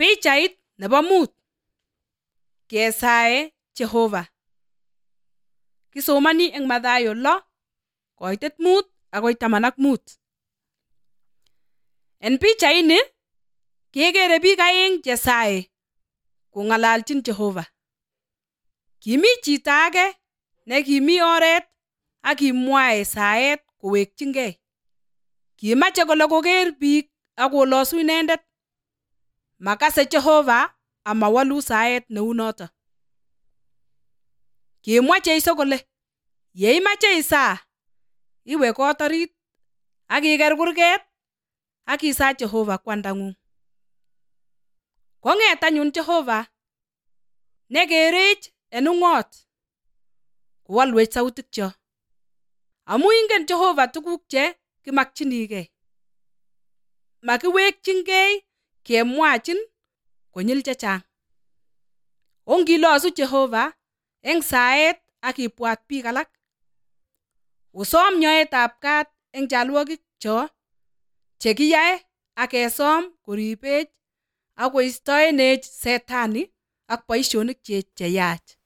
Pichait nebo mut. Kesae Jehova. Kisomani eng Mathayo 6:5-15. En pichaini kekere biik aeng chesae kong'alalchin Jehova. Kimi chito age nekimi oret ak kimwae saet kowekchingei. Kimache kole koker biik ak kolosu inendet. Makase Jehova amawalu saet neu noto. Kimwa Jeiso kole yeimache isaa, iwe kot orit ak iker kurget ak isaa Jehova kwandang'ung. Kong'et anyun Jehova nekerech en ung'ot kowalwech sautikyo. Amu ingen Jehova tuguk che kimakchinigei. Makiwekchingei kemwachin konyil chechang. Ongilosu Jehova eng saet ak ibwat biik alak. Osom nyoetab kat eng chalwogik cho chekiyae ak kesom koribech ak koistoenech Setani ak boisionik cheyach.